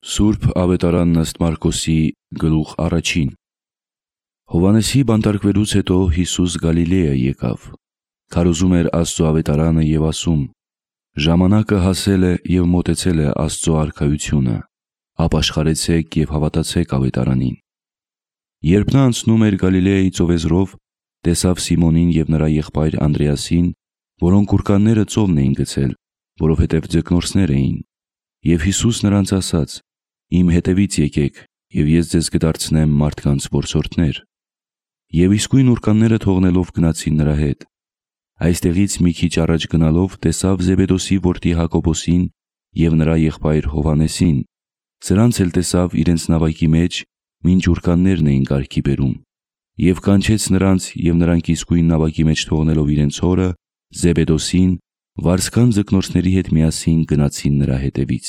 Սուրբ ավետարանն ըստ Մարկոսի գլուխ 1։ Հովհաննեսի բանտարկվելուց հետո Հիսուս Գալիլեա եկավ, քարոզում էր Աստծո ավետարանը և ասում. «Ժամանակը հասել է և մոտեցել է Աստծո արքայությունը, ապաշխարեցեք և հավատացեք ավետարանին»։ Երբ նա անցնում էր Գալիլեայի ծովեզրով, տեսավ Սիմոնին և նրա եղբայր Անդրեասին, որոնք ուռկանները ծովն էին գցել, որովհետև ձկնորսներ էին։ Եվ Հիսուս նրանց ասաց. «Իմ հետևից եկեք, և ես ձեզ կդարձնեմ մարդկանց որսորդներ»։ Եվ իսկույն ուռկանները թողնելով գնացին նրա հետ։ Այստեղից մի քիչ առաջ գնալով տեսավ Զեբեդոսի որդի Հակոբոսին և նրա եղբայր Հովհաննեսին, սրանց էլ տեսավ իրենց նավակի մեջ, մինչ ուռկաններն էին կարգի բերում, և կանչեց նրանց, և նրանք իսկույն նավակի մեջ թողնելով իրենց հորը Զեբեդոսին, վարձկան ձկնորսների հետ միասին գնացին նրա հետևից։